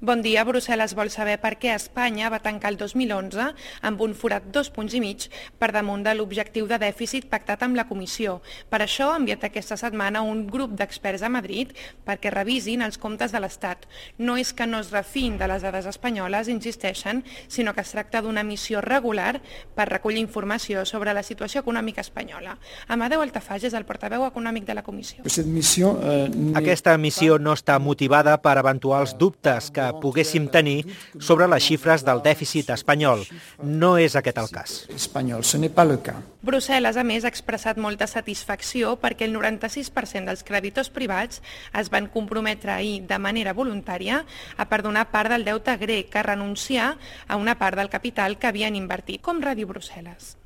Bon dia. Brussel·les vol saber per què Espanya va tancar el 2011 amb un forat 2,5 punts per damunt de l'objectiu de dèficit pactat amb la Comissió. Per això ha enviat aquesta setmana un grup d'experts a Madrid perquè revisin els comptes de l'Estat. No és que no es refin de les dades espanyoles, insisteixen, sinó que es tracta d'una missió regular per recollir informació sobre la situació econòmica espanyola. Amadeu Altafage és el portaveu econòmic de la Comissió. Aquesta missió no està motivada per eventuals dubtes que poguéssim tenir sobre les xifres del dèficit espanyol. No és aquest el cas. Brussel·les, a més, ha expressat molta satisfacció perquè el 96% dels creditors privats es van comprometre ahir de manera voluntària a perdonar part del deute grec, a renunciar a una part del capital que havien invertit, com Ràdio Brussel·les.